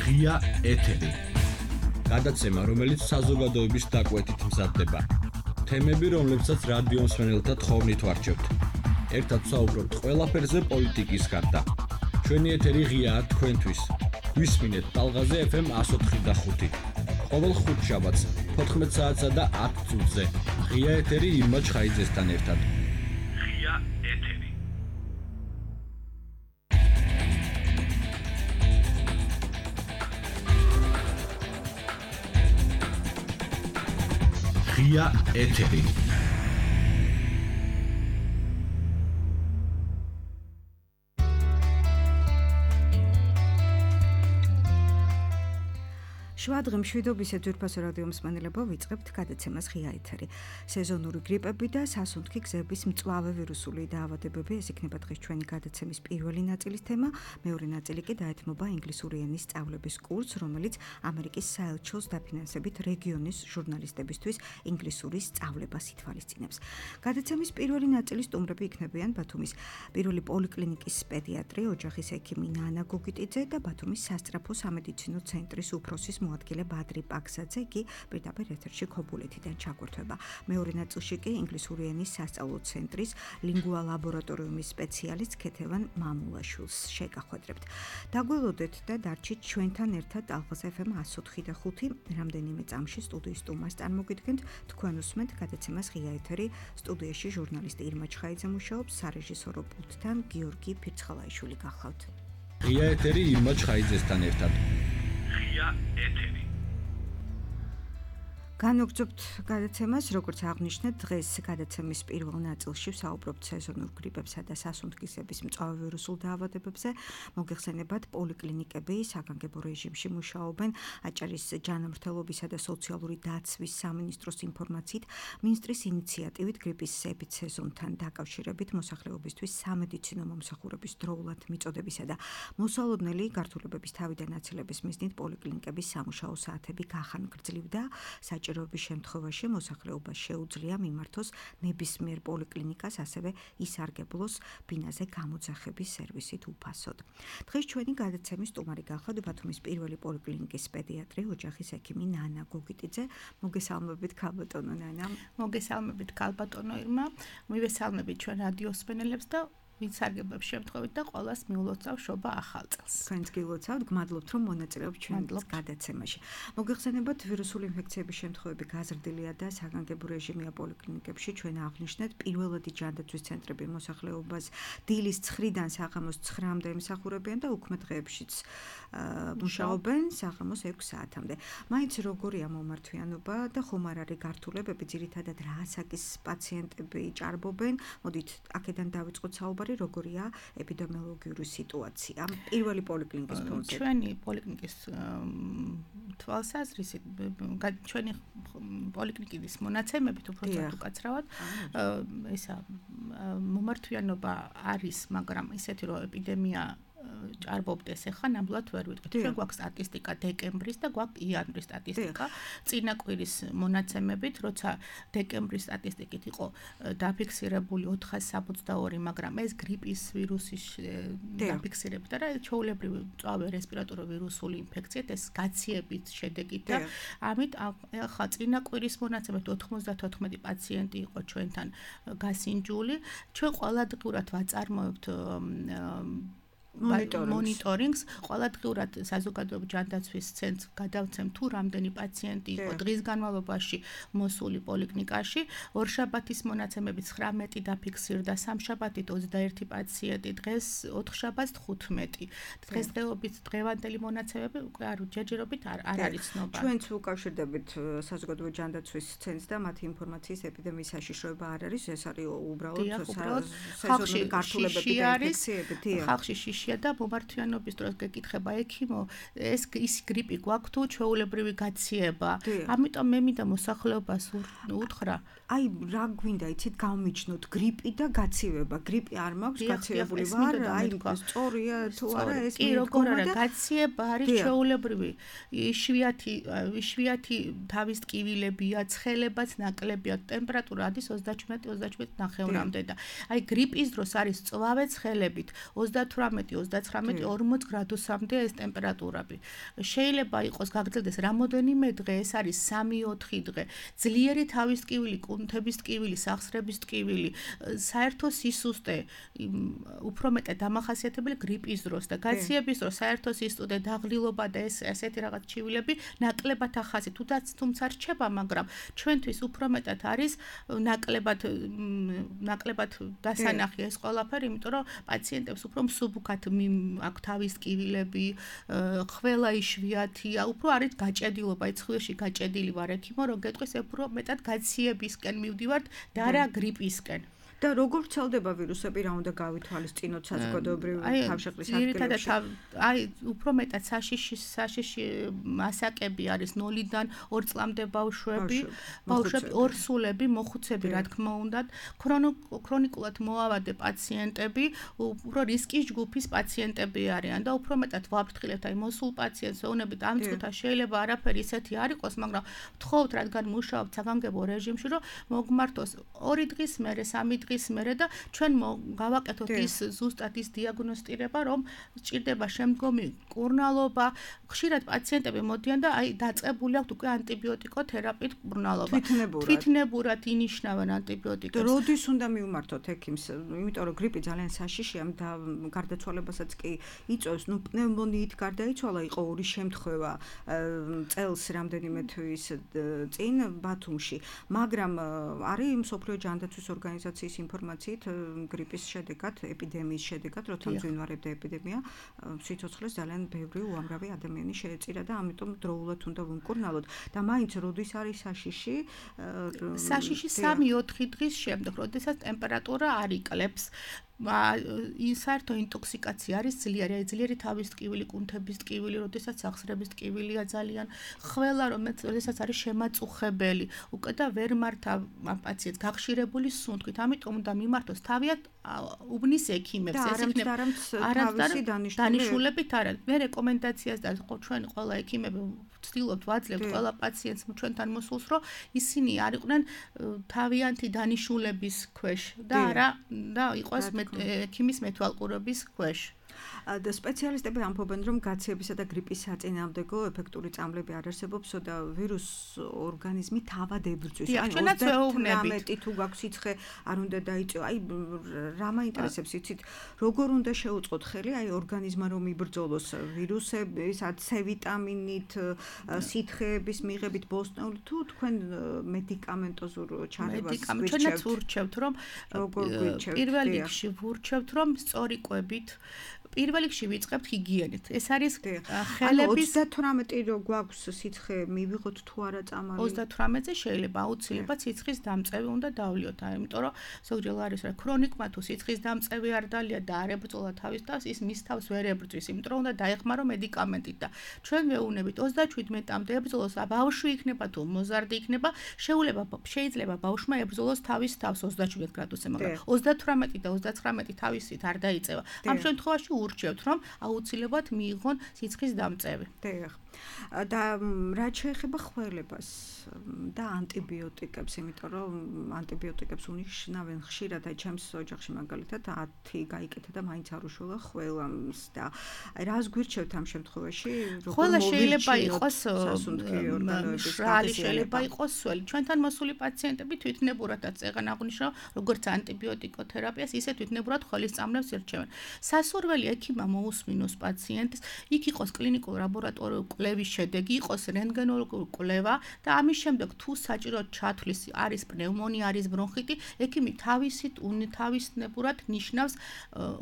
ღია ეთერი. გადაცემა, რომელიც საზოგადოების დაკვეთით მზადდება. თემები, რომლებსაც რადიო მსმენელთა თხოვნით ვარჩევთ. ერთად საუბრობთ ყველაფერზე პოლიტიკის გარდა. ჩვენი ეთერი ღიაა თქვენთვის. გვისმინეთ ტალღაზე FM 104.5. ყოველ ხუთშაბათს 14 საათსა და 10 წუთზე. ღია ეთერი ირმა ჩხაიძესთან ერთად. ღია ეთერი. ღია ეთერი. შვადღი მშვიდობისა ძვირფასო რადიო მსმენელებო, ვიწყებთ გადაცემას ღია ეთერი. სეზონური გრიპები და სასუნთქი გზების მწვავე ვირუსული დაავადებები, ეს იქნება დღეს ჩვენი გადაცემის პირველი ნაწილის თემა. მეორე ნაწილი კი დაეთმობა ინგლისური ენის სწავლების კურსს, რომელიც ამერიკის საელჩოს დაფინანსებით რეგიონის ჟურნალისტებისთვის ინგლისურის სწავლებას ითვალისწინებს. გადაცემის პირველი ნაწილის სტუმრები იქნებიან ბათუმის პირველი პოლიკლინიკის პედიატრი, ოჯახის ექიმი ნანა გოგიტიძე და ბათუმის სასწრაფო სამედიცინო ცენტრის უფროსის მოადგილე ბადრი პაქსაძე, კი პირდაპირ ეთერში ქობულეთიდან ჩაგვერთვება. მეორე ნაწილში კი ინგლისური ენის სასწავლო ცენტრის ლინგვა ლაბორატორიუმის სპეციალისტ ქეთევან მამულაშვილს შეგახვედრებთ. დაგველოდეთ და დარჩით ჩვენთან ერთად ტალღაზე FM 104.5 რამდენიმე წამში სტუდიის სტუმარს წარმოგიდგენთ. თქვენ უსმენთ გადაცემას ღია ეთერი. სტუდიაში ჟურნალისტი ირმა ჩხაიძე მუშაობს, სარეჟისორო პულტთან გიორგი ფირცხალაიშვილი გახლავთ. ღია ეთერი ირმა ჩხაიძესთან ერთად. ღია ეთერი. განვგრძობთ გადაცემას, როგორც აღნიშნეთ, დღეს გადაცემის პირველ ნაწილში ვსაუბრობთ სეზონურ გრიპებსა და სასუნთქისების მწვავე ვირუსულ დაავადებებზე. მოგეხსენებათ, პოლიკლინიკები საგანგებო რეჟიმში მუშაობენ. აჭარის ჯანმრთელობისა და სოციალური დაცვის სამინისტროს ინფორმაციით, მინისტრის ინიციატივით გრიპის ეპიდსეზონთან დაკავშირებით მოსახლეობისთვის სამედიცინო მომსახურების დროულად მიწოდებისა და მოსალოდნელი გართულებების თავიდან აცილების მიზნით პოლიკლინიკების სამუშაო საათები გახანგრძლივდა. საჭიროების შემთხვევაში მოსახლეობას შეუძლია მიმართოს ნებისმიერ პოლიკლინიკას, ასევე ისარგებლოს ბინაზე გამოძახების სერვისით უფასოდ. დღეს ჩვენი გადაცემის სტუმარი გახლავთ ბათუმის პირველი პოლიკლინიკის პედიატრი, ოჯახის ექიმი ნანა გოგიტიძე. მოგესალმებით ქალბატონო ნანა. მოგესალმებით ქალბატონო ირმა. მივესალმებით ჩვენ რადიო მსმენელებს და ვისარგებლებს შემთხვევით და ყველას მიულოცავ შობა ახალ წელს. თქვენც გილოცავთ, გმადლობთ რომ მონაწილეობთ ჩვენ გადაცემაში. მოგეხსენებათ, ვირუსული ინფექციების შემთხვევები გაზრდილია და საგანგებო რეჟიმია პოლიკლინიკებში. ჩვენ აღნიშნეთ, პირველადი ჯანდაცვის ცენტრები მოსახლეობას დილის 9-დან საღამოს 9-მდე ემსახურებიან და უქმე დღეებშიც მუშაობენ საღამოს 6 საათამდე. მაინც როგორია მომართვიანობა და ხომ არ არის გართულებები, ძირითადად რა ასაკის პაციენტები ჭარბობენ? მოდით აქედან დავიწყოთ საუბარი. როგორია ეპიდემიოლოგიური სიტუაცია პირველი პოლიკლინიკის ფონზე. ჩვენი პოლიკლინიკის თვალსაზრისით ჩვენი პოლიკლინიკის მონაცემებით უფრო უკაცრავად ესა მომართვიანობა არის, მაგრამ ისეთი რომ ეპიდემია ჭარბობდეს ახლა ნამდვილად ვერ ვიტყვით. ჩვენ გვაქვს სტატისტიკა დეკემბრის და გვაქვს იანვრის სტატისტიკა. წინა კვირის მონაცემებით, როცა დეკემბრის სტატისტიკით იყო დაფიქსირებული 462, მაგრამ ეს გრიპის ვირუსის დაფიქსირებით და ჩვეულებრივი მწვავე რესპირატორული ვირუსული ინფექციით ეს გაციებით შედეგით და ამით ახლა წინა კვირის მონაცემებით 94 პაციენტი იყო ჩვენთან გასინჯული. ჩვენ ყოველდღურად ვაწარმოებთ მონიტორინგს, ყოველდღურად საზოგადოების ჯანდაცვის ცენტრს გადავცემ თუ რამდენი პაციენტი იყო დღის განმავლობაში მოსული პოლიკლინიკაში. ორშაბათის მონაცემებით 19 დაფიქსირდა, სამშაბათით 21 პაციენტი, დღეს 4 შაბათს 15. დღესდღეობით დღევანდელი მონაცემები უკვე არ ჯერჯერობით არ არის ცნობა. ჩვენც უკავშირდებით საზოგადოების ჯანდაცვის ცენტრს და მათი ინფორმაციის ეპიდემიის საშიშროება არ არის, ეს არის უბრალოდ სეზონური გართულებები და ინფექციები. ხალხში შიშია და მომართვიანობის დროს გეკითხება ექიმო, ეს ის გრიპი გვაქვს თუ ჩვეულებრივი გაციება. ამიტომ მე მინდა მოსახლეობას უთხრა, აი რა გვინდა იცით გავმიჩნოთ გრიპი და გაციება. გრიპი არ მაქვს, გაციებული ვარ, აი სწორია თუ არა ეს კი როგორ არა, გაციება არის ჩვეულებრივი. იშვიათი თავის ტკივილებია, ცხელებაც ნაკლებია, ტემპერატურა არის 37-38 ნახევრამდე და აი გრიპის დროს არის წვავე ცხელებით 38 39-40 გრადუსამდე ეს ტემპერატურები. შეიძლება იყოს გაგრძელდეს რამოდენიმე დღე, ეს არის 3-4 დღე. ძლიერი თავის ტკივილი, კუნთების ტკივილი, სახსრების ტკივილი, საერთო სისუსტე, უფრო მეტად დამახასიათებელი გრიპის დროს და გაციების დროს საერთო სისუსტე, დაღლილობა და ესეთი რაღაც ჩივილები ნაკლებად ახასი, თუმცა რჩება, მაგრამ ჩვენთვის უფრო მეტად არის ნაკლებად დასანახი ეს ყველაფერი, იმიტომ რომ პაციენტებს უფრო მსუბუქად აქვს თავის ტკივილები, ყველა იშვიათია, უფრო არის გაჭედილობა, ცხვირში გაჭედილი ვარ ექიმო, რომ გეტყვის უფრო მეტად გაციებისკენ მივდივართ და არა გრიპისკენ. და როგორ ვრცელდება ვირუსები, რა უნდა გავითვალისწინოთ საზოგადოებრივ თავშეყრის ადგილებში? უფრო მეტად საშიში მასაკები არის 0-დან 2 წლამდე ბავშვები, ორსულები, მოხუცები, რა თქმა უნდა, ქრონიკულად მოავადე პაციენტები, უფრო რისკის ჯგუფის პაციენტები არიან და უფრო მეტად ვაფრთხილებთ აი მოსულ პაციენტს, ეუბნებით ამ წუთას შეიძლება არაფერი ისეთი არ იყოს, მაგრამ ვთხოვთ, რადგან მუშაობთ საგანგებო რეჟიმში, რომ მოგმართოს 2 დღის მერე, 3 დღის მერე და ჩვენ გავაკეთოთ ის ზუსტად ის დიაგნოსტირება, რომ სჭირდება შემდგომი კურნალობა. ხშირად პაციენტები მოდიან და აი დაწყებული აქვთ უკვე ანტიბიოტიკოთერაპიით კურნალობა. თვითნებურად ინიშნავენ ანტიბიოტიკებს. როდის უნდა მივმართოთ ექიმს? იმიტომ რომ გრიპი ძალიან საშიშია და გარდაცვალებასაც კი იწვევს. პნევმონიით გარდაიცვალა იყო 2 შემთხვევა წელს რამდენიმე თვის წინ ბათუმში. მაგრამ არის მსოფლიო ჯანდაცვის ორგანიზაციის ინფორმაციით გრიპის შედეგად, ეპიდემიის შედეგად, როცა მძვინვარებდა ეპიდემია, სიცოცხლეს ძალიან ბევრი უამრავი ადამიანი შეეწირა და ამიტომ დროულად უნდა ვიმკურნალოთ. და მაინც როდის არის საშიში? საშიში 3-4 დღის შემდეგ, როდესაც ტემპერატურა არ იკლებს. საერთო ინტოქსიკაცია არის ძლიერი თავის ტკივილი, კუნთების ტკივილი, როდესაც სახსრების ტკივილია ძალიან, ყველა როდესაც არის შემაწუხებელი, უკვე და ვერ მართავ ამ პაციენტს გახშირებული სუნთქვით, ამიტომ უნდა მიმართოს თავიანთ უბნის ექიმებს, ეს იქნება თავისი დანიშნულებით არა. მე რეკომენდაციას და ჩვენ ყველა ექიმები ვცდილობთ ვაძლევთ ყველა პაციენტს ჩვენთან მოსულს, რომ ისინი არ იყვნენ თავიანთი დანიშნულების ქვეშ და არა და იყოს ექიმის მეთვალყურების ქვეშ. და სპეციალისტები ამბობენ, რომ გაციებისა და გრიპის საწინააღმდეგო ეფექტური წამლები არ არსებობს და ვირუს ორგანიზმი თავად ებრძვის. ჩვენაც ვეუბნებით. თუ გაქვს სიცხე, არ უნდა დაიწვიო. აი რა მაინტერესებს, იცით, როგორ უნდა შეუწყოთ ხელი აი ორგანიზმა რომ იბრძოლოს ვირუსების, C ვიტამინით, სითხეების მიღებით ბოსტნეული თუ თქვენ მედიკამენტოზურ ჩარევას გვირჩევთ? ჩვენაც ვურჩევთ, რომ პირველ რიგში ვურჩევთ, რომ სწორი კვებით პირველ რიგში ვიწყებთ ჰიგიენით. ეს არის ხელების 38 რო გვაქვს სიცხე მივიღოთ თუ არა წამალი. 38-ზე შეიძლება აუცილებლად სიცხის დამწევი უნდა დავლიოთ, იმიტომ რომ ზოგჯერ არის რა ქრონიკმა თუ სიცხის დამწევი არ დალია და არ ებრძოლა თავის თავს, ის მის თავს ვერ ებრძვის, იმიტომ რომ უნდა დაეხმარო მედიკამენტით და ჩვენ ვეუბნებით 37-მდე ებრძოლოს, ბავშვი იქნება თუ მოზარდი იქნება, შეიძლება ბავშვმა ებრძოლოს თავის თავს 37 გრადუსზე, მაგრამ 38 და 39 თავისით არ დაიწევა. ამ შემთხვევაში ურჩევთ, რომ აუცილებლად მიიღონ სიცხის დამწევი. და რაც შეეხება ხველებას და ანტიბიოტიკებს, იმიტომ რომ ანტიბიოტიკებს უნიშნავენ ხშირად, აი ჩემს ოჯახში მაგალითად 10 გაიკეთა და მაინც არ უშველა ხველას და აი რას გვირჩევთ ამ შემთხვევაში? ხველა შეიძლება იყოს მშრალი, შეიძლება იყოს სველი. ჩვენთან მოსული პაციენტები თვითნებურადაც წეგან აღნიშნავ, როგორც ანტიბიოტიკოთერაპიას, ისე თვითნებურად ხველის წამლებს ირჩევენ. სასურველი ექიმმა მოусმინოს პაციენტს, იქ იყოს კლინიკურ ლაბორატორიულ კვლევის შედეგი, იყოს რენტგენოლოგიური კვლევა და ამის შემდეგ თუ საჭიროდ ჩათვლის არის პნევმონია, არის ბრონხიტი, ექიმი თავისნებურად ნიშნავს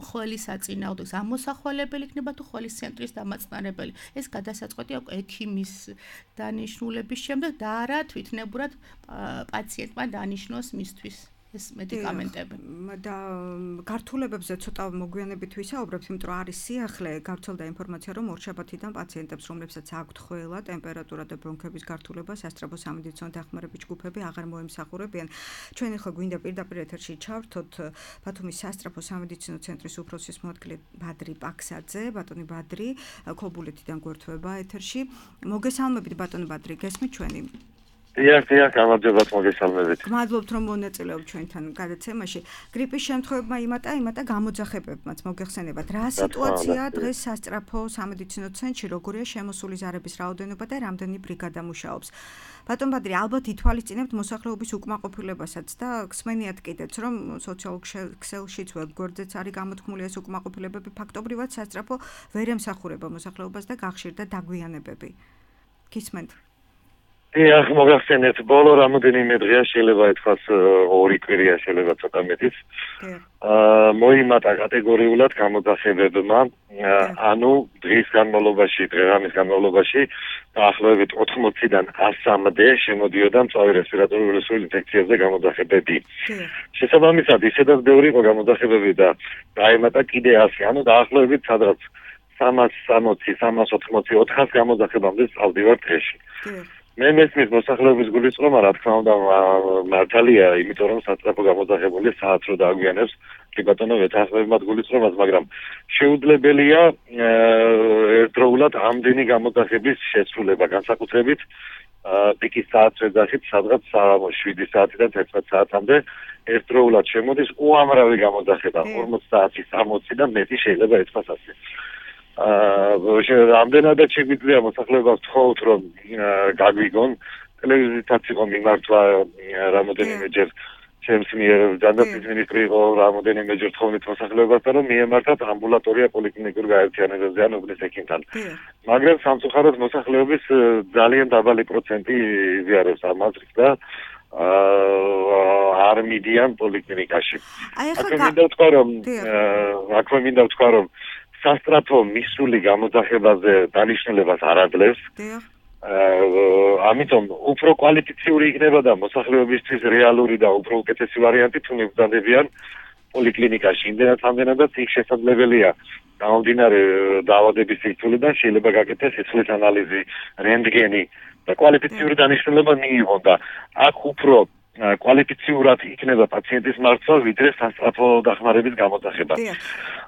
ხველის საწინააღმდეგოს, ამოსახველებელი იქნება თუ ხველის ცენტრის დამაწნარებელი. ეს გადასაწყვეტია ექიმის დანიშნულების შემდეგ და არა თვითნებურად პაციენტმა დანიშნოს მისთვის. ეს მედიკამენტები. და გართულებებზე ცოტა მოგვიანებით ვისაუბრებთ, იმიტომ რომ არის სიახლე, გავრცელდა ინფორმაცია, რომ ორშაბათიდან პაციენტებს, რომლებსაც აქვთ ხველა, ტემპერატურა და ბრონქების გართულება, სასწრაფო სამედიცინო დახმარების ჯგუფები აღარ მოემსახურებიან. ჩვენ ახლა გვინდა პირდაპირ ეთერში ჩავრთოთ ბათუმის სასწრაფო სამედიცინო ცენტრის უფროსის მოადგილე ბადრი პაქსაძე. ბატონი ბადრი, ქობულეთიდან გვერდება ეთერში. მოგესალმებით ბატონი ბადრი, გესმით ჩვენი? დიახ, გამარჯობა მოგესალმებით. გმადლობთ რომ მონაწილეობთ ჩვენთან გადაცემაში. გრიპის შემთხვევებმა იმატა გამოძახებებმაც მოგეხსენებათ. რა სიტუაცია დღეს სასწრაფო სამედიცინო ცენტრში, როგორია შემოსული ზარების რაოდენობა და რამდენი ბრიგადა მუშაობს? ბატონ ბადრი, ალბათ ითვალისწინებთ მოსახლეობის უკმაყოფილებასაც და გსმენიათ კიდეც, რომ სოციალურ ქსელშიც ვებგვერდზეც არის გამოთქმული ეს უკმაყოფილებები, ფაქტობრივად სასწრაფო ვერ ემსახურება მოსახლეობას და გახშირდა დაგვიანებები. გისმენთ? დიახ, მოგახსენეთ, ბოლო რამოდენიმე დღეა შეიძლება ითქვას 2 კვირია შეიძლება ცოტა მეტიც. მოიმატა კატეგორიულად გამოძახებებმა, ანუ დღის განმავლობაში დაახლოებით 80-დან 100-მდე შემოდიოდა მწვავე რესპირატორული ვირუსული ინფექციებზე გამოძახებები. შესაბამისად, ისედაც ბევრი იყო გამოძახებები და დაემატა კიდე 100, ანუ დაახლოებით სადღაც 360, 380, 400 გამოძახებამდე წავდივარ დღეში. მე მესმის მოსახლეობის გულისწყრომა, რა თქმა უნდა, მართალია, იმიტომ რომ სასწრაფო გამოძახებული საათს რო დააგვიანებს, კი ბატონო, ვეთანხმებთ გულისწყრომას, მაგრამ შეუძლებელია ერთდროულად ამდენი გამოძახების შესრულება, განსაკუთრებით პიკის საათს ვეძახით, სადღაც 7 საათიდან 11 საათამდე ერთდროულად შემოდის უამრავი გამოძახება, 40 საათი, 60 და მეტი შეიძლება ითქვას ასე. ამდენადაც შეგვიძლია მოსახლეობას ვთხოვთ, რომ გაგვიგონ, ტელევიზიითაც იყო მიმართვა რამოდენიმეჯერ ჩემს მიერ, ჯანდაცვის მინისტრი იყო რამოდენიმეჯერ თხოვნით მოსახლეობას, რომ მიემართათ ამბულატორია პოლიკლინიკურ გაერთიანებებზე ან უბნის ექიმთან. მაგრამ სამწუხაროდ მოსახლეობის ძალიან დაბალი პროცენტი იზიარებს ამ აზრს და არ მიდიან პოლიკლინიკაში. აქვე მინდა ვთქვა, რომ სასტრაფო მისული გამოძახებაზე დანიშნულებას არ აძლევს. ამიტომ უფრო კვალიფიციური იქნება და მოსახლეობისთვის რეალური და უფრო უკეთესი ვარიანტი თუ მიბრძანდებიან პოლიკლინიკაში. იმდენად ამდენადაც იქ შესაძლებელია გამომდინარე დაავადების სიძულვიდან შეიძლება გაკეთდეს სიცოცხლის ანალიზი, რენტგენი და კვალიფიციური დანიშნულება მიიღონ და აქ უფრო კვალიფიციურად იქნება პაციენტის მარცვა, ვიდრე სასწრაფო დახმარების გამოძახება.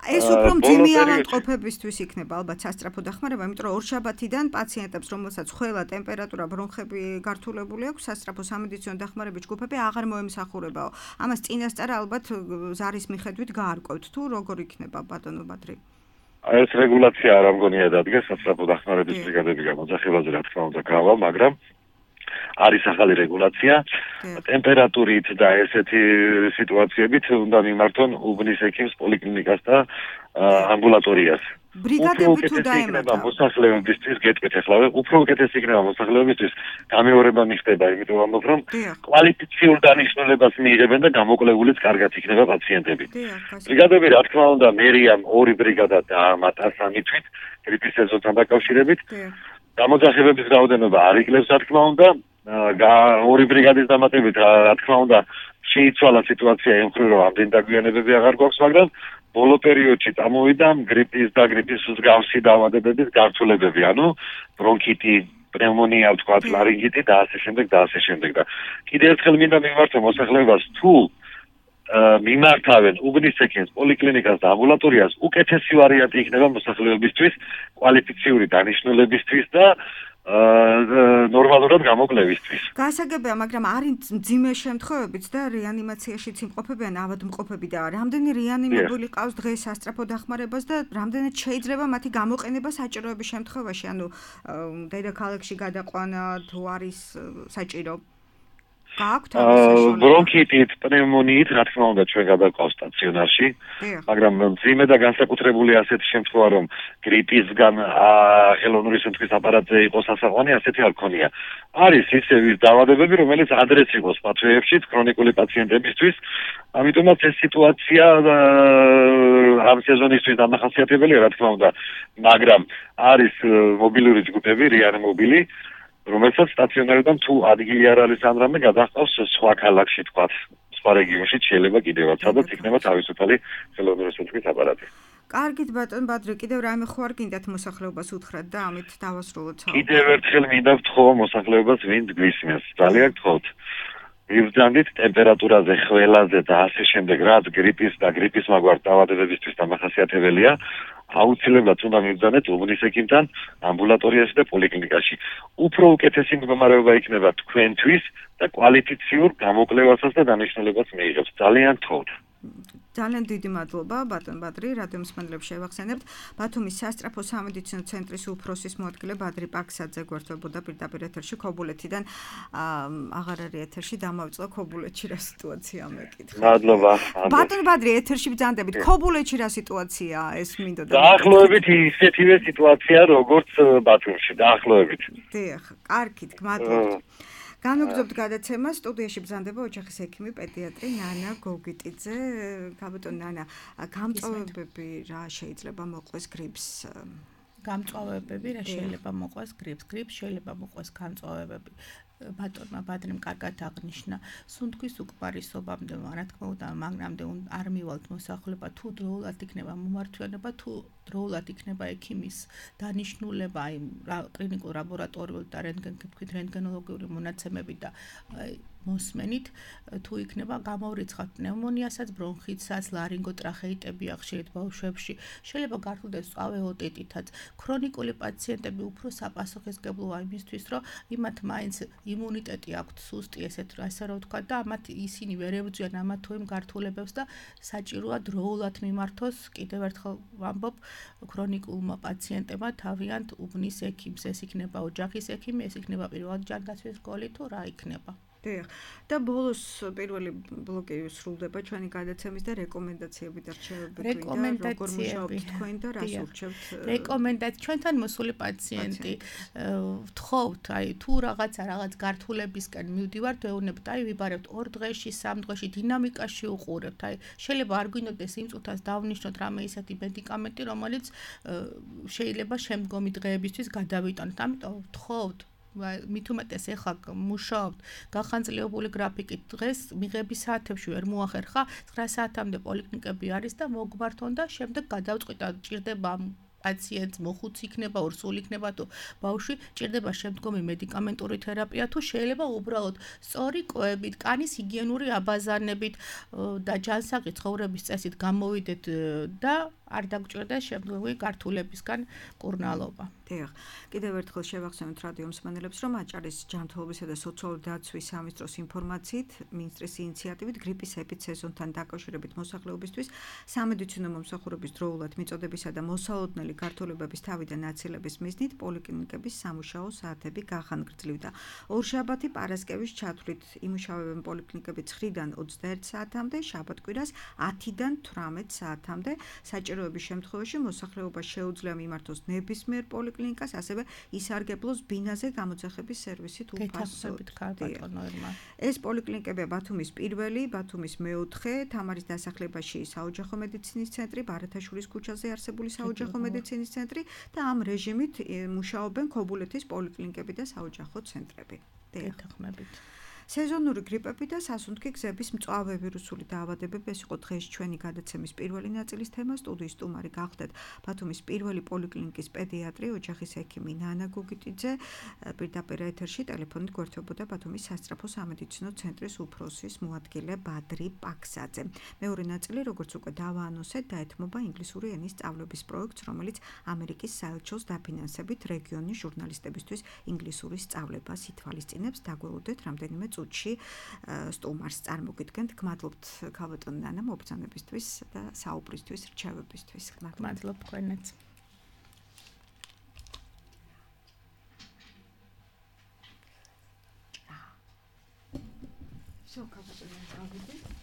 ეს უფრო მძიმე ავადმყოფებისთვის იქნება ალბათ სასწრაფო დახმარება, იმიტომ რომ ორშაბათიდან პაციენტებს, რომელსაც ხველა, ტემპერატურა, ბრონხები გართულებული აქვს, სასწრაფო სამედიცინო დახმარების ჯგუფები აღარ მოემსახურებაო. ამას წინასწარ ალბათ ზარის მიხედვით გაარკვევთ, თუ როგორ იქნება ბატონო ბადრი? ეს რეგულაცია არ ამგონია დადგეს სასწრაფო დახმარების ბრიგადები გამოძახებაზე, რა თქმა უნდა, გავა, მაგრამ არის ახალი რეგულაცია, ტემპერატურით და ესეთი სიტუაციებით უნდა მიმართონ უბნის ექიმს, პოლიკლინიკას და ამბულატორიას. ბრიგადები თუ დაემატა მოსახლეობისთვის, გეტყვით ახლა, უფრო უკეთესი იქნება მოსახლეობისთვის, გამეორება მიხდება, იმიტომ რომ კვალიფიციურ დანიშნულებას მიიღებენ და გამოკლებულიც კარგად იქნება პაციენტები. ბრიგადები, რა თქმა უნდა, მერიამ 2 ბრიგადა დაამატა 3 თვით გრიპის სეზონთან დაკავშირებით. გამოძახებების რაოდენობა არ იკლებს, რა თქმა უნდა, 2 ბრიგადის დამატებით, რა თქმა უნდა, შეიცვალა სიტუაცია იმ მხრივ, რომ ამდენი დაგვიანებები აღარ გვაქვს, მაგრამ ბოლო პერიოდში წამოვიდა გრიპის და გრიპის მსგავსი დაავადებების გართულებები, ანუ ბრონქიტი, პნევმონია, ვთქვათ, ლარინგიტი და ასე შემდეგ და ასე შემდეგ. და კიდევ ერთხელ მინდა მიმართო მოსახლეობას, თუ მიმართავენ უბნის ექიმს, პოლიკლინიკას და ამბულატორიას, უკეთესი ვარიანტი იქნება მოსახლეობისთვის, კვალიფიციური დანიშნულებისთვის და ნორმალურად გამოკლებისთვის. გასაგებია, მაგრამ არის მძიმე შემთხვევებიც და რეანიმაციაშიც იმყოფებიან ავადმყოფები და რამდენი რეანიმებული ყავს დღეს სასწრაფო დახმარებას და რამდენად შეიძლება მათი გამოყენება საჭიროების შემთხვევაში, ანუ დედაქალაქში გადაყვანა თუ არის საჭირო? ბრონქიტით, პნევმონიით, რა თქმა უნდა, ჩვენ გადაყავს სტაციონარში, მაგრამ მძიმე და განსაკუთრებული ასეთი შემთხვევა, რომ გრიპისგან ხელოვნური სუნთქვის აპარატზე იყოს ასაყვანი, ასეთი არ ქონია. არის ისე ვის დაავადებები, რომელიც ადრეც იყოს პათოებში, ქრონიკული პაციენტებისთვის, ამიტომაც ეს სიტუაცია ამ სეზონისთვის დამახასიათებელია, რა თქმა უნდა, მაგრამ არის მობილური ჯგუფები, რეანიმობილი, რომელსაც სტაციონარიდან თუ ადგილი არ არის ან რამე გადაჰყავს სხვა ქალაქში, თქვათ, სხვა რეგიონში შეიძლება კიდევაც, სადაც იქნება თავისუფალი ხელოვნური სუნთქვის აპარატი. კარგით, ბატონ ბადრი, კიდევ რამე ხო არ გინდათ მოსახლეობას უთხრათ და ამით დავასრულოთ. კიდევ ერთხელ მინდა ვთხოვო მოსახლეობას, ვინც გვისმენს, ძალიან გთხოვთ. მიბრძანდით ტემპერატურაზე, ხველაზე და ასე შემდეგ, რაც გრიპის და გრიპის მაგვარ დაავადებებისთვის დამახასიათებელია, აუცილებლად უნდა მიბრძანეთ უბნის ექიმთან ამბულატორიაში და პოლიკლინიკაში. უფრო უკეთესი მდგომარეობა იქნება თქვენთვის და კვალიფიციურ გამოკვლევასაც და დანიშნულებას მიიღებს. ძალიან თხოვთ. ძალიან დიდი მადლობა ბატონ ბადრი, რადიო მსმენელებს შევახსენებთ. ბათუმის სასწრაფო სამედიცინო ცენტრის უფროსის მოადგილე ბადრი პაქსაძე გვერდთვებოდა პირდაპირ ეთერში ქობულეთიდან. აღარ არის ეთერში, დამავიწყდა ქობულეთში რა სიტუაცია მეკითხა. მადლობა. ბატონ ბადრი, ეთერში ბრძანდებით. ქობულეთში რა სიტუაციაა ეს მინდოდა? დაახლოებით ისეთივე სიტუაცია როგორც ბათუმში, დაახლოებით. დიახ, კარგით, გმადლობთ. განვაგრძობთ გადაცემა, სტუდიაში ბრძანდება ოჯახის ექიმი პედიატრი ნანა გოგიტიძე. გაბატონ ნანა, გამწვავებები რა შეიძლება მოყვეს გრიპს? გამწვავებები რა შეიძლება მოყვეს გრიპს შეიძლება მოყვეს გამწვავებები. ბატონმა ბადრიმ კარგად აღნიშნა, სუნთქვის უკმარისობამდე, რა თქმა უნდა, მაგრამ არ მივალთ მოსახლეობა თუ დროულად იქნება მომართვიანება, თუ დროულად იქნება ექიმის დანიშნულება, აი კლინიკურ ლაბორატორიული და რენტგენოლოგიური მონაცემები და მოსმენით, თუ იქნება გამოვრიცხავთ პნევმონიასაც, ბრონხიტსაც, ლარინგოტრახეიტები ახშირით ბავშვებში, შეიძლება გართულდეს მწვავე ოტიტითაც. ქრონიკული პაციენტები უფრო საპასუხისმგებლოა იმისთვის, რომ იმათ მაინც იმუნიტეტი აქვთ სუსტი, ასე რომ ვთქვა და ამათ ისინი ვერ ებრძვიან ამათ თუ იმ გართულებებს და საჭიროა დროულად მიმართოს, კიდევ ერთხელ ვამბობ, ქრონიკულმა პაციენტებმა თავიანთ უბნის ექიმს, ეს იქნება ოჯახის ექიმი, ეს იქნება პირველად ჯანდაცვის სკოლი თუ რა იქნება. და ბოლოს პირველი ბლოკი სრულდება ჩვენი გადაცემის და რეკომენდაციები და რჩევები გვინდა, როგორ მუშაობთ თქვენ და რას ურჩევთ? რეკომენდაცია ჩვენთან მოსული პაციენტი ვთხოვთ, აი თუ რაღაც გართულებისკენ მივდივართ, ვეუბნებთ, აი ვიბარებთ 2 დღეში, 3 დღეში დინამიკაში უყურებთ, აი შეიძლება არ გვინდოდეს იმ წუთას დავნიშნოთ რამე ისეთი მედიკამენტი, რომელიც შეიძლება შემდგომი დღეებისთვის გადავიტანოთ. ამიტომ ვთხოვთ მით უმეტეს ეხლა მუშაობთ გახანძლებული გრაფიკით დღეს მიღების საათებში ვერ მოახერხა 9 საათამდე პოლიკლინიკები არის და მოგმართონ და შემდეგ გადავწყვიტა ჭირდება პაციენტს მოხუცი იქნება, ორსული იქნება თუ ბავშვი ჭირდება შემდგომი მედიკამენტური თერაპია თუ შეიძლება უბრალოდ სწორი კვებით, კანის ჰიგიენური აბაზანებით და ჯანსაღი ცხოვრების წესით გამოვიდეთ და არ დაგჭირდეს შემდგომი გართულებისგან კურნალობა. დიახ. კიდევ ერთხელ შევახსენოთ რადიო მსმენელებს, რომ აჭარის ჯანმრთელობისა და სოციალური დაცვის სამინისტროს ინფორმაციით, მინისტრის ინიციატივით გრიპის ეპიცეზონთან დაკავშირებით მოსახლეობისთვის სამედიცინო მომსახურების დროულად მიწოდებისა და მოსალოდნელი გართულებების თავიდან აცილების მიზნით პოლიკლინიკების სამუშაო საათები გახანგრძლივდა. ორშაბათი პარასკევის ჩათვლით იმუშავებენ პოლიკლინიკები 9-დან 21 საათამდე, შაბათ-კვირას 10-დან 18 საათამდე. საჭიროების შემთხვევაში მოსახლეობა შეუძლია მიმართოს ნებისმიერ პოლიკლინიკას, ასევე ისარგებლოს ბინაზე გამოძახების სერვისით უფასოდ. ეს პოლიკლინიკებია ბათუმის პირველი, ბათუმის მეოთხე, თამარის დასახლებაში საოჯახო მედიცინის ცენტრი, ბარათაშვილის ქუჩაზე არსებული საოჯახო მედიცინის ცენტრი და ამ რეჟიმით მუშაობენ ქობულეთის პოლიკლინიკები და საოჯახო ცენტრები. გეთანხმებით. სეზონური გრიპები და სასუნთქი გზების მწვავე ვირუსული დაავადებები ეს იყო დღეს ჩვენი გადაცემის პირველი ნაწილის თემა. სტუდიის სტუმარი გახდეთ ბათუმის პირველი პოლიკლინიკის პედიატრი, ოჯახის ექიმი ნანა გოგიტიძე. პირდაპირ ეთერში ტელეფონით გვერდთვებოდა ბათუმის სასწრაფო სამედიცინო ცენტრის უფროსის მოადგილე ბადრი პაქსაძე. მეორე ნაწილი, როგორც უკვე დავაანონსეთ, დაეთმობა ინგლისური ენის სწავლების პროექტს, რომელიც ამერიკის საელჩოს დაფინანსებით რეგიონის ჟურნალისტებისთვის ინგლისურის სწავლებას ითვალისწინებს. დაგველოდეთ რამდენიმე წუთში სტუმარს წარმოგიდგენთ. გმადლობთ ქალბატონ ნანა მობრძანებისთვის და საუბრისთვის, რჩევებისთვის. გმადლობთ თქვენაც. всё, ქალბატონ ნანა,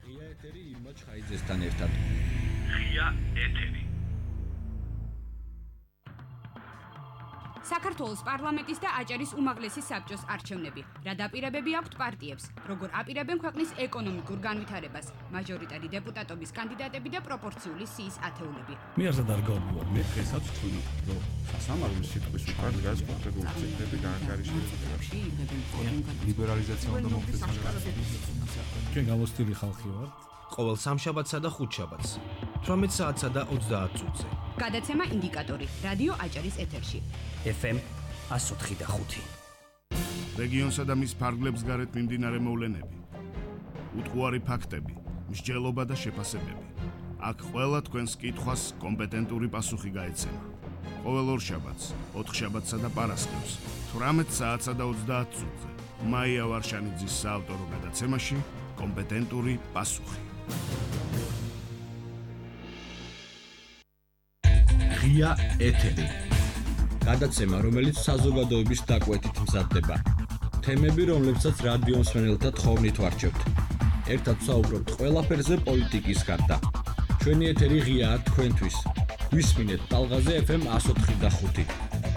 ღია ეთერი ირმა ჩხაიძესთან ერთად. ღია ეთერი. საქართველოს პარლამენტის და აჭარის უმაღლესი საბჭოს არჩევნები. რა დაპირებები აქვთ პარტიებს? როგორ აპირებენ ქვეყნის ეკონომიკურ განვითარებას? მაჟორიტარი დეპუტატობის კანდიდატები და პროპორციული სიის ათეულები. მე არც არ გავიგებ, მე დღესაც ვთვლი, რომ სასამართლოს სიტყვის უკან დგას კონკრეტული ციფრები განკარიშები. ლიბერალიზაცია უნდა მოხდეს. ჩვენ გამოსტილი ხალხი ვართ. ყოველ სამშაბათსა და ხუთშაბათს 18 საათსა და 30 წუთზე. გადაცემა ინდიკატორი რადიო აჭარის ეთერში. FM 104.5. რეგიონსა და მის ფარგლებს გარეთ მიმდინარე მოვლენები, უტყუარი ფაქტები, მსჯელობა და შეფასებები. აქ ყველა თქვენს კითხვას კომპეტენტური პასუხი გაეცემა. ყოველ ორშაბათს, ოთხშაბათსა და პარასკევს 18 საათსა და 30 წუთზე. მაია ვარშანიძის საავტორო გადაცემაში კომპეტენტური პასუხი. ღია ეთერი. გადაცემა, რომელიც საზოგადოების დაკვეთით მზადდება. თემები, რომლებსაც რადიო მსმენელთა თხოვნით ვარჩევთ. ერთად საუბრობთ ყველაფერზე პოლიტიკის გარდა. ჩვენი ეთერი ღიაა თქვენთვის. გვისმინეთ ტალღაზე FM 104.5.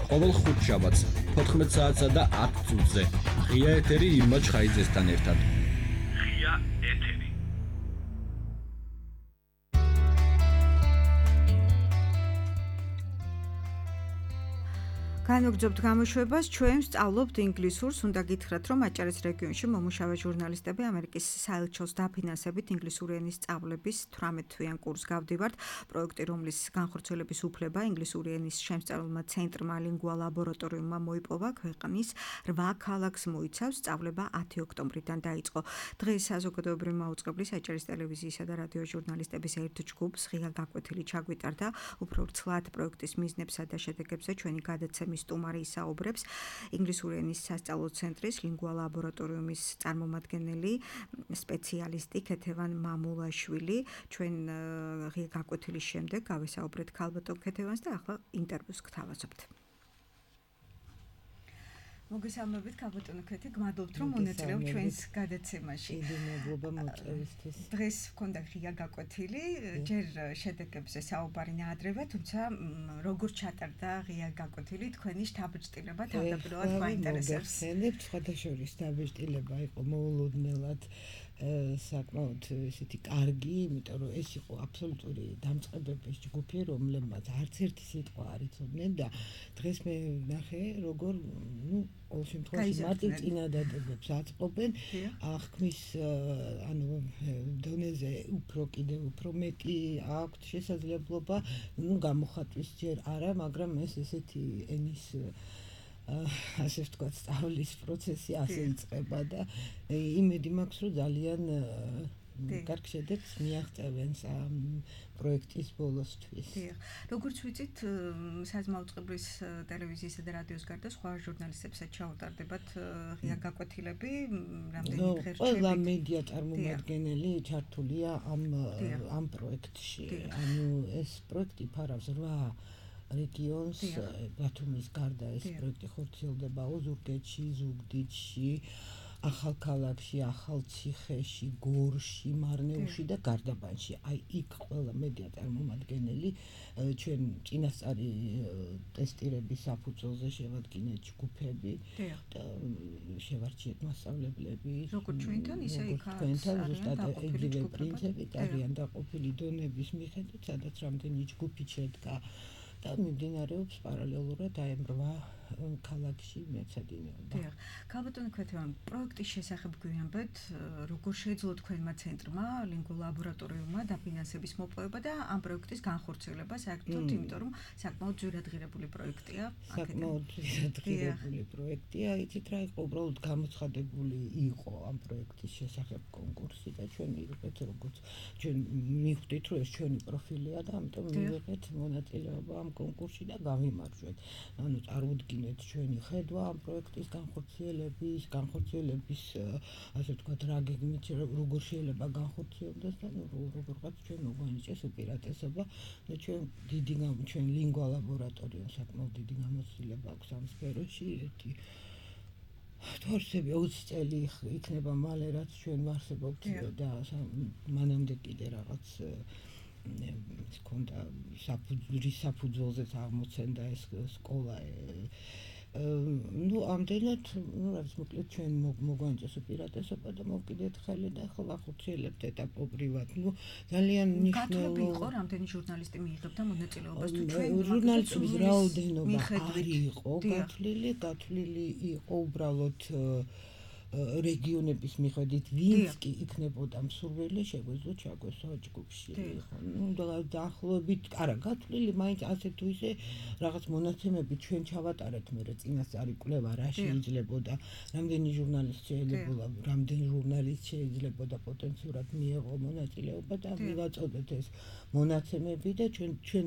ყოველ ხუთშაბათს 14 საათსა და 10 წუთზე. ღია ეთერი ირმა ჩხაიძესთან ერთად. ღია ეთერი. განვაგრძობთ გამოშვებას, ჩვენ ვსწავლობთ ინგლისურს, უნდა გითხრათ, რომ აჭარის რეგიონში მომუშავე ჟურნალისტები ამერიკის საელჩოს დაფინანსებით ინგლისური ენის სწავლების 18-თვიან კურსს გავდივართ. პროექტი, რომლის განხორციელების უფლება ინგლისური ენის შემსწავლელმა ცენტრმა ლინგვა ლაბორატორიუმმა მოიპოვა, ქვეყნის 8 ქალაქს მოიცავს. სწავლება 10 ოქტომბრიდან დაიწყო. დღეს საზოგადოებრივი მაუწყებლის აჭარის ტელევიზიისა და რადიო ჟურნალისტების ერთ ჯგუფს ღია გაკვეთილი ჩაგვიტარდა. უფრო ვრცლად პროექტის მიზნებსა და შედეგებზე ჩვენი გადაცემის სტუმარი ისაუბრებს ინგლისური ენის სასწავლო ცენტრის ლინგვა ლაბორატორიუმის წარმომადგენელი სპეციალისტი ქეთევან მამულაშვილი. ჩვენ ღია გაკვეთილის შემდეგ გავესაუბრეთ ქალბატონ ქეთევანს და ახლა ინტერვიუს გთავაზობთ. მოგესალმებით ქალბატონო ქეთი, გმადლობთ რომ მონაწილეობთ ჩვენს გადაცემაში. დიდი მადლობა მოწვევისთვის. დღეს ვქონდა ღია გაკვეთილი, ჯერ შედეგებზე საუბარი ნაადრევია, თუმცა როგორ ჩატარდა ღია გაკვეთილი, თქვენი შთაბეჭდილება თავდაპირველად გვაინტერესებს. მოგესალმებით, სხვადასხვა დაბეჭდილება იყო მოულოდნელად საკმაოდ ესეთი კარგი, იმიტომ რომ ეს იყო აბსოლუტური დამწყებების ჯგუფი, რომლებმაც არც ერთი სიტყვა არ იცოდნენ და დღეს მე ნახე, როგორ, ყოველ შემთხვევაში მარტივ წინადადებებს აწყობენ, აღქმის დონეზე კიდევ უფრო მეტი აქვთ შესაძლებლობა, გამოხატვის ჯერ არა, მაგრამ ეს ესეთი ენის ასე ვთქვათ, სწავლის პროცესი ასე იწყება და იმედი მაქვს, რომ ძალიან კარგ შედეგს მიაღწევენ ამ პროექტის ბოლოსთვის. როგორც ვიცით, საზმაუწყებლის ტელევიზიისა და რადიოს გარდა სხვა ჟურნალისტებსაც ჩაუტარდებათ ღია გაკვეთილები, რამდენი დღე რჩებით? ყველა მედია წარმომადგენელი ჩართულია ამ პროექტში. ანუ ეს პროექტი ფარავს 8 რეგიონს, ბათუმის გარდა ეს პროექტი ხორციელდება ოზურგეთში, ზუგდიდში, ახალქალაქში, ახალციხეში, გორში, მარნეულში და გარდაბანში. აი იქ ყველა მედია წარმომადგენელი ჩვენ წინასწარი ტესტირების საფუძველზე შევადგინეთ ჯგუფები და შევარჩიეთ მასწავლებლები. როგორც ჩვენთან, ისე იქ ზუსტად ეგრევე პრინციპით არიან დაყოფილი დონების მიხედვით, სადაც რამდენი ჯგუფი შედგა. და მიმდინარეობს პარალელურად აი 8 ქალაქში მეცადინეობა. ქალბატონო ქეთევან, პროექტის შესახებ გვიამბეთ, როგორ შეძლო თქვენმა ცენტრმა, ლინგვა ლაბორატორიუმმა დაფინანსების მოპოვება და ამ პროექტის განხორციელება საერთოდ, იმიტომ რომ საკმაოდ ძვირადღირებული პროექტია. საკმაოდ ძვირადღირებული პროექტია, იცით რა იყო, უბრალოდ გამოცხადებული იყო ამ პროექტის შესახებ კონკურსი და ჩვენ მივიღეთ როგორც ჩვენ მივხვდით, რომ ეს ჩვენი პროფილია და ამიტომ მივიღეთ მონაწილეობა ამ კონკურსში და გავიმარჯვეთ. ანუ წარუდგინეთ ჩვენი ხედვა ამ პროექტის განხორციელების ასე ვთქვათ, რა გეგმით როგორ შეიძლება განხორციელდეს და როგორღაც ჩვენ მოგვანიჭეს უპირატესობა და ჩვენ ლინგვა ლაბორატორიუმ საკმაოდ დიდი გამოცდილება აქვს ამ სფეროში. ერთი თორსები 20 წელი იქნება მალე რაც ჩვენ ვარსებობთ და მანამდე კიდე რაღაც ქონდა საფუძველზეც აღმოცენდა ეს სკოლა ну ამდენად რაც მოკლედ ჩვენ მოგვანწეს უპირატესობა და მოვკიდეთ ხელი და ახლა ვახორციელებთ ეტაპობრივად. ну ძალიან გათვლები იყო რამდენი ჟურნალისტი მიიღებდა მონაწილეობას თუ ჩვენ ჟურნალისტების რაოდენობა არ იყო გათვლილი იყო უბრალოდ რეგიონების მიხედვით ვინც კი იქნებოდა მსურველი შეგვეძლო ჩაგვესვა ჯგუფში ხო ну დაახლოებით არა გათვლილი მაინც ასე თუ ისე რაღაც მონაცემები ჩვენ ჩავატარეთ მე წინასწარი კვლევა რა შეიძლებოდა რამდენი ჟურნალისტ შეიძლება პოტენციურად მიეღო მონაწილეობა და მივაწოდეთ ეს მონაცემები და ჩვენ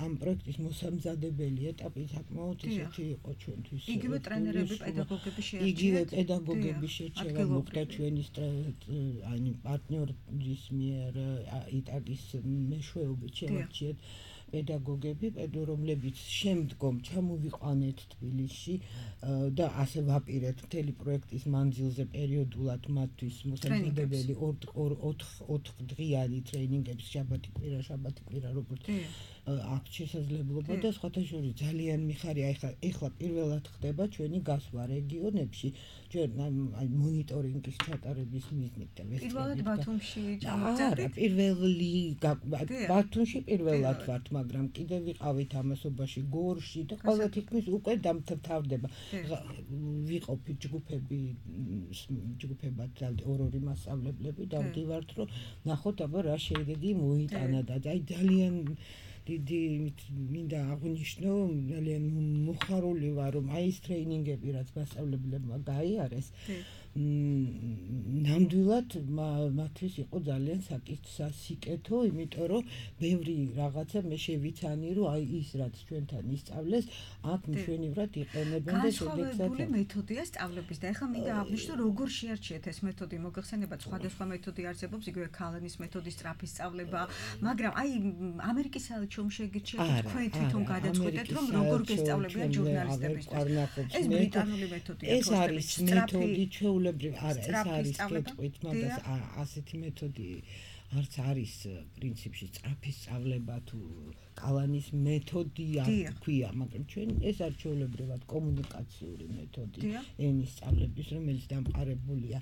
ამ პროექტის მოსამზადებელი ეტაპი საკმაოდ ისეთი იყო ჩვენთვის იგივე ტრენერები პედაგოგები შეერჩიეთ პედაგოგების შერჩევა მოხდა ჩვენი პარტნიორის მიერ იტაგის მეშვეობით შევარჩიეთ პედაგოგები, რომლებიც შემდგომ ჩამოვიყვანეთ თბილისში და ასე ვაპირეთ მთელი პროექტის მანძილზე პერიოდულად მათთვის მოსამზადებელი 4 დღიანი ტრეინინგების შაბათი კვირა როგორც აქ შესაძლებლობა და სხვათა შორის ძალიან მიხარია ეხლა პირველად ხდება ჩვენი გასვლა რეგიონებში ჩვენ აი მონიტორინგის ჩატარების მიზნით და პირველად ბათუმში ჩამოვიწყდით ბათუმში პირველად ვართ მაგრამ კიდე ვიყავით ამასობაში გორში და ყველა თითქმის უკვე დამთავრდება ვიყოფით ჯგუფებად ორ-ორი მასწავლებლები და ვდივართ რომ ნახოთ აბა რა შედეგი მოიტანა და აი ძალიან დიდი მინდა აღვნიშნო ძალიან მოხარული ვარ რომ აი ეს ტრეინინგები რაც მასწავლებლებმა გაიარეს ნამდვილად მათთვის იყო ძალიან სასიკეთო იმიტომ რომ ბევრი რაღაცა მე შევიცანი რომ აი ის რაც ჩვენთან ისწავლეს აქ მშვენივრად იყენებენ და განსხვავებული მეთოდია სწავლების და ეხლა მინდა აღვნიშნო როგორ შეარჩიეთ ეს მეთოდი მოგეხსენებათ სხვადასხვა მეთოდი არსებობს იგივე ქალანის მეთოდი სწრაფი სწავლება მაგრამ აი ამერიკის საელჩომ შეგირჩიათ თქვენ თვითონ გადაწყვეტეთ რომ როგორ გესწავლებიან ჟურნალისტებისთვის ეს ბრიტანული მეთოდია ეს არის მეთოდი არა ეს არის კეთყვით მაგას ასეთი მეთოდი არც არის პრინციპში სწრაფი სწავლება თუ კალანის მეთოდია ქვია მაგრამ ჩვენ ეს არის ჩვეულებრივად კომუნიკაციური მეთოდი ენის სწავლების რომელიც დამყარებულია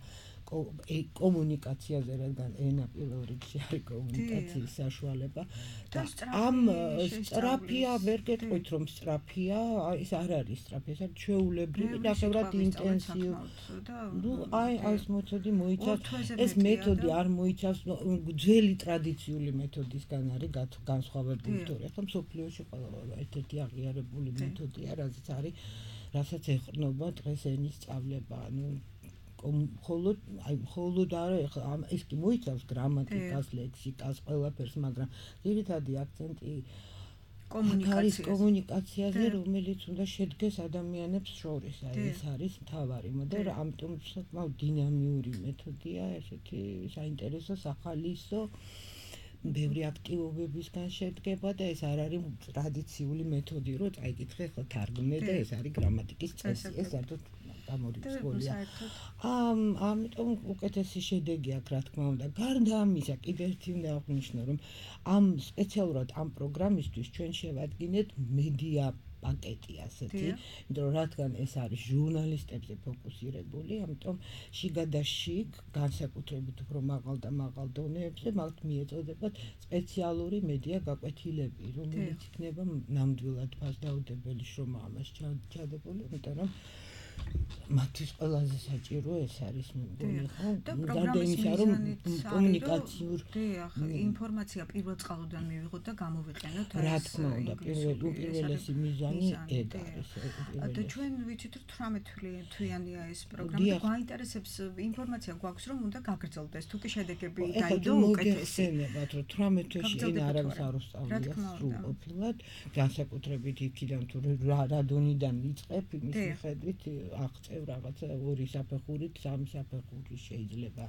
კომუნიკაციაზე რადგან ენა პირველ რიგში არის კომუნიკაციის საშუალება და ამ სწრაფია ვერ გეტყვით რომ სწრაფია ეს არ არის სწრაფი ეს არის ჩვეულებრივი ნახევრად ინტენსიური ну აი ეს მეთოდი მოიცავს ეს მეთოდი არ მოიცავს ძველი ტრადიციული მეთოდისგან არის განსხვავებული თორე ახლა მსოფლიოში ყველა ერთ-ერთი აღიარებული მეთოდია რასაც ეყრდნობა დღეს ენის სწავლება ну მხოლოდ არა ეს კი მოიცავს გრამატიკას, ლექსიკას, ყველაფერს, მაგრამ ძირითადი აქცენტი კომუნიკაციაზე, რომელიც უნდა შედგეს ადამიანებს შორის. აი ეს არის მთავარი მოდელი, ამიტომ საკმაოდ დინამიური მეთოდია, ესეთი საინტერესო, სახალისო ბევრი აქტივობებისგან შედგება და ეს არ არის ტრადიციული მეთოდი, რომ წაიკითხე ხო თარგმნე და ეს არის გრამატიკის წესი, ეს საერთოდ გამორიცხულია. ამიტომ უკეთესი შედეგი აქვს, რა თქმა უნდა. გარდა ამისა, კიდევ ერთი უნდა აღვნიშნო, რომ ამ სპეციალურად ამ პროგრამისთვის ჩვენ შევადგინეთ მედია პაკეტი ასეთი, იმიტომ რომ რადგან ეს არის ჟურნალისტებზე ფოკუსირებული, ამიტომ შიგადაშიგ განსაკუთრებით უფრო მაღალ დონეებზე მათ მიეწოდებათ სპეციალური მედია გაკვეთილები, რომელიც იქნება ნამდვილად ფასდაუდებელი შრომა ამას ჩადებული, იმიტომ რომ მათთვის ყველაზე საჭირო ეს არის მეგონი ხო და პროგრამის კომუნიკაციურ ინფორმაცია პირველ წყალოდან მივიღოთ და გამოვიყენოთ რა თქმა უნდა პირველესი მიზანი ეგ არის და ჩვენ ვიცით რომ 18 თვიანია ეს პროგრამა და გვაინტერესებს ინფორმაცია გვაქვს რომ უნდა გაგრძელდეს თუ კი შედეგები დაიდო უკეთესი მოგეხსენებათ რომ 18 თვეში ენა არავის არ უსწავლია სრულყოფილად განსაკუთრებით იქიდან თუ რა დონიდან იწყებ იმის მიხედვით აღწევ რაღაცა 2 საფეხურით 3 საფეხური შეიძლება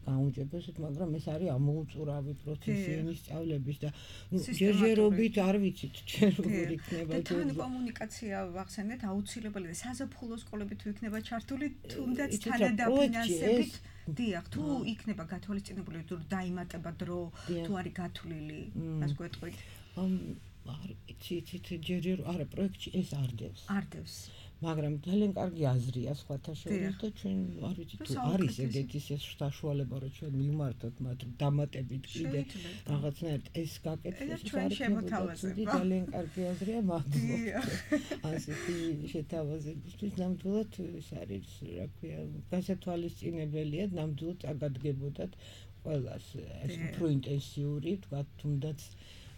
გაუნჯებესოთ, მაგრამ ეს არის ამოუწურავი პროცესი ენის სწავლების და ჯერჯერობით არ ვიცით ჩვენ როგორ იქნება და თან კომუნიკაცია ვახსენეთ აუცილებელი და საზაფხულო სკოლები თუ იქნება ჩართული თუნდაც თანადაფინანსებით დიახ თუ იქნება გათვალისწინებული თუ დაიმატება დრო თუ არის გათვლილი მას გვეტყვით იცით ჯერ არა პროექტი ეს არდევს მაგრამ ძალიან კარგი აზრია სხვათა შორის და ჩვენ არ ვიცი თუ არის ეგეთი საშუალება რომ ჩვენ მივმართოთ მათ დამატებით კიდე რაღაცნაირად ეს გაკეთდეს ჩვენ შემოთავაზებთ ძალიან კარგი აზრია მადლობა ასეთი შეთავაზებისთვის ნამდვილად ეს არის რა ქვია გასათვალისწინებელია ნამდვილად წაგადგებოდათ ყველას ეს უფრო ინტენსიური თქვა თუნდაც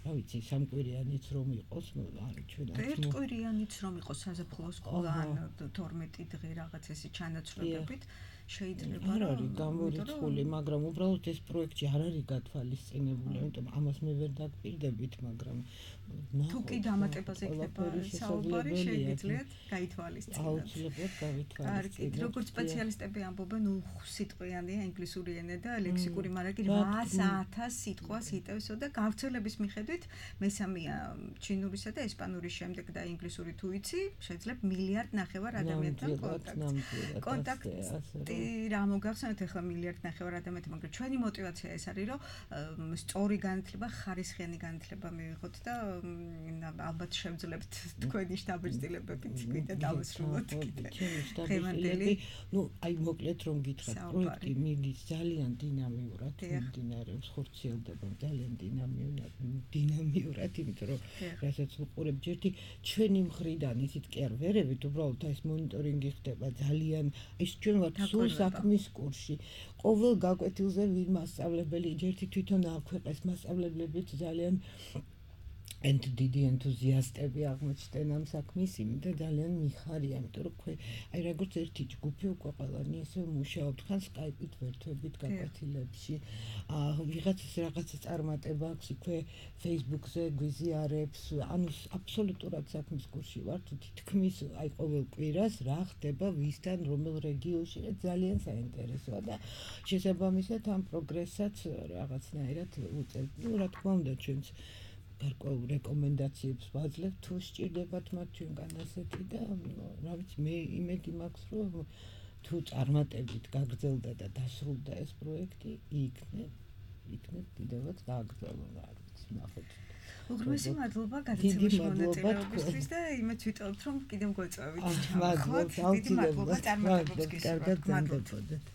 რა ვიცი სამკვირიანიც რომ იყოს არის ჩვენ ერთკვირიანიც რომ იყოს საზაფხულო სკოლა ან 12 დღე რაღაც ესე ჩანაცვლებებით შეიძლება არ არის გამორიცხული მაგრამ უბრალოდ ეს პროექტი არ არის გათვალისწინებული ამიტომ ამას მე ვერ დაგპირდებით მაგრამ თუ კი დამატებაზე იქნება საუბარი შეგიძლიათ გაითვალისწინოთ აუცილებლად გავითვალისწინოთ როგორც სპეციალისტები ამბობენ სიტყვიანია ინგლისური ენა და ლექსიკური მარაგი 800,000 სიტყვას იტევსო და გავრცელების მიხედვით მესამეა ჩინურისა და ესპანურის შემდეგ და ინგლისური თუ იცი შეძლებ 1.5 მილიარდ ადამიანთან კონტაქტი რა მოგახსენოთ ახლა 1.5 მილიარდ ადამიანთან მაგრამ ჩვენი мотиваცია ეს არის რომ სწორი განათლება ხარისხიანი განათლება მივიღოთ და ალბათ შევძლებთ თქვენი შტაბ-ჭრილებებით კიდე დავასრულოთ დღევანდელი ნუ აი მოკლედ რომ გითხრათ პროექტი მიდის ძალიან დინამიურად მიმდინარეობს ხორციელდება ძალიან დინამიურად იმიტომ რომ რასაც ვუყურებ ჯერთი ჩვენი მხრიდან ისიც კი არ ვერებით უბრალოდ ეს მონიტორინგი ხდება ძალიან ის ჩვენ ვართ სულ საქმის კურსში ყოველ გაკვეთილზე ვინ მასწავლებელი ჯერთი თვითონ აქვეყეს მასწავლებლებიც ძალიან დიდი ენთუზიასტები აღმოჩნდნენ ამ საქმის იმით და ძალიან მიხარია, იმიტომ რომ აი როგორც ერთი ჯგუფი უკვე ყველანი ესე მუშაობთ ხან Skype-ით ვერთვებით გაკვეთილებში. რაღაცა წარმატება აქვს იქვე Facebook-ზე გვიზიარებს, ანუ აბსოლუტურად საქმის კურსში ვართ, თითქმის აი ყოველ კვირას რა ხდება ვისთან რომელ რეგიონში ძალიან საინტერესოა და შესაბამისად ამ პროგრესსაც რაღაცნაირად უწევთ. ნუ რა თქმა უნდა ჩვენც გარკვეულ რეკომენდაციებს ვაძლევთ თუ სჭირდებათ მათ ჩვენგან ასეთი და რა ვიცი მე იმედი მაქვს რომ თუ წარმატებით გაგრძელდა და დასრულდა ეს პროექტი იქნებ კიდევაც გააგრძელო რა ვიცი ნახოთ უღრმესი მადლობა გადაცემაში მონაწილეობისთვის და იმეც ვიტყობთ რომ კიდევ გვეწევით მადლობა მადლობა წარმატებებს გისურვებთ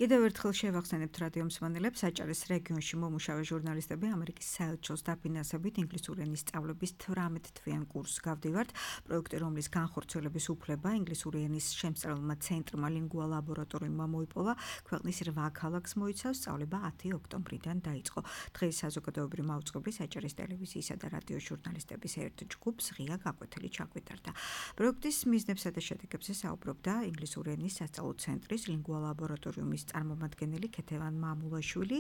კიდევ ერთხელ შევახსენებთ რადიო მსმენელებს საჭარეს რეგიონში მომუშავე ჟურნალისტები ამერიკის საელჩოს დაფინანსებით ინგლისური ენის სწავლების 18 თვიან კურსს გავდივართ პროექტი რომლის განხორციელების უფლება ინგლისური ენის შემსწავლელმა ცენტრმა ლინგუა ლაბორატორიუმმა მოიპოვა ქვეყნის 8 ქალაქს მოიცავს სწავლება 10 ოქტომბრიდან დაიწყო დღეს საზოგადოებრივი მაუწყებლის საჭარეს ტელევიზიისა და რადიო ჟურნალისტების ერთ ჯგუფს ღია გაკვეთილი ჩაგვიტარდა პროექტის მიზნებსა და შედეგებზე საუბრობდა ინგლისური ენის სასწავლო ცენტრის ლინგუა ლაბორატორიუმის წარმომადგენელი ქეთევან მამულაშვილი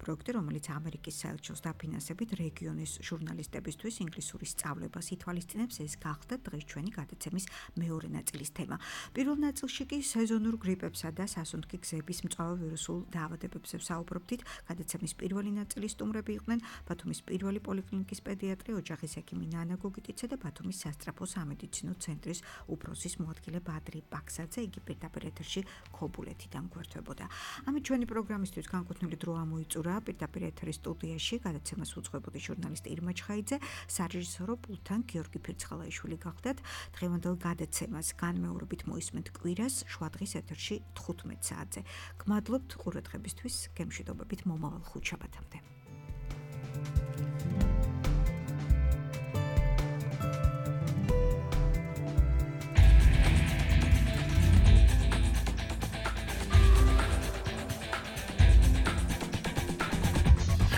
პროექტი რომელიც ამერიკის საელჩოს დაფინანსებით რეგიონის ჟურნალისტებისთვის ინგლისურის სწავლებას ითვალისწინებს ეს გახდა დღეს ჩვენი გადაცემის მეორე ნაწილის თემა პირველ ნაწილში კი სეზონურ გრიპებსა და სასუნთქი გზების მწვავე ვირუსულ დაავადებებზე ვსაუბრობდით გადაცემის პირველი ნაწილის სტუმრები იყვნენ ბათუმის პირველი პოლიკლინიკის პედიატრი ოჯახის ექიმი ნანა გოგიტიცე და ბათუმის სასწრაფო სამედიცინო ცენტრის უფროსის მოადგილე ბადრი პაქსაძე იგი პირდაპირ ეთერში ქობულეთიდან გვერდება ამით ჩვენი პროგრამისთვის განკუთვნილი დრო ამოიწურა პირდაპირ ეთერის სტუდიაში გადაცემას უძღვებოდი ჟურნალისტი ირმა ჩხაიძე სარეჟისორო პულტთან გიორგი ფირცხალაიშვილი გახდათ დღევანდელ გადაცემას განმეორებით მოისმენთ კვირას შუადღის ეთერში 15 საათზე გმადლობთ ყურადღებისთვის გემშვიდობებით მომავალ ხუთშაბათამდე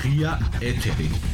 ღია ეთერი